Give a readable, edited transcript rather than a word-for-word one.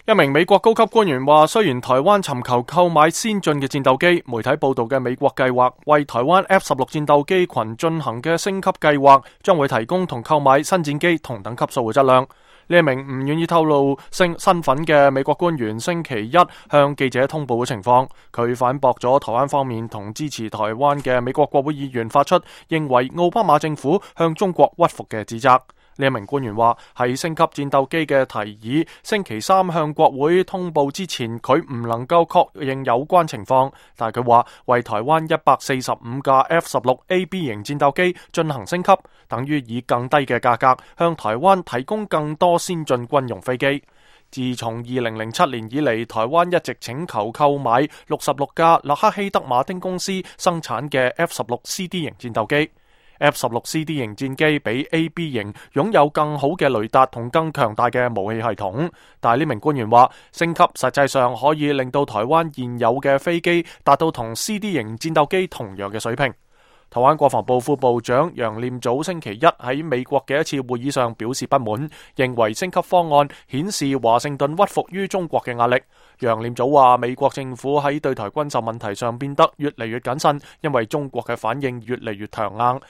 一名美國高級官員話，雖然台灣尋求購買先進嘅戰鬥機，媒體報道嘅美國計劃為台灣 F-16 戰鬥機群進行嘅升級計劃，將會提供同購買新戰機同等級數嘅質量。呢一名唔願意透露身份嘅美國官員星期一向記者通報嘅情況，佢反駁咗台灣方面同支持台灣嘅美國國會議員發出認為奧巴馬政府向中國屈服嘅指責。呢一名官員話，喺升級戰鬥機嘅提議星期三向國會通報之前，佢唔能夠確認有關情況，但係佢話為台灣145架 F-16AB 型戰鬥機進行升級，等於以更低嘅價格向台灣提供更多先進軍用飛機。自從2007年以嚟，台灣一直請求購買66架洛克希德馬丁公司生產嘅 F-16CD 型戰鬥機。F-16CD 型戰機比 AB 型擁有更好嘅雷達同更強大嘅武器系統，但係呢名官員話，升級實際上可以令到台灣現有嘅飛機達到同 CD 型戰鬥機同樣嘅水平。台灣國防部副部長楊念祖星期一喺美國嘅一次會議上表示不滿，認為升級方案顯示華盛頓屈服於中國嘅壓力。楊念祖話，美國政府喺對台軍售問題上變得越嚟越謹慎，因為中國嘅反應越嚟越強硬。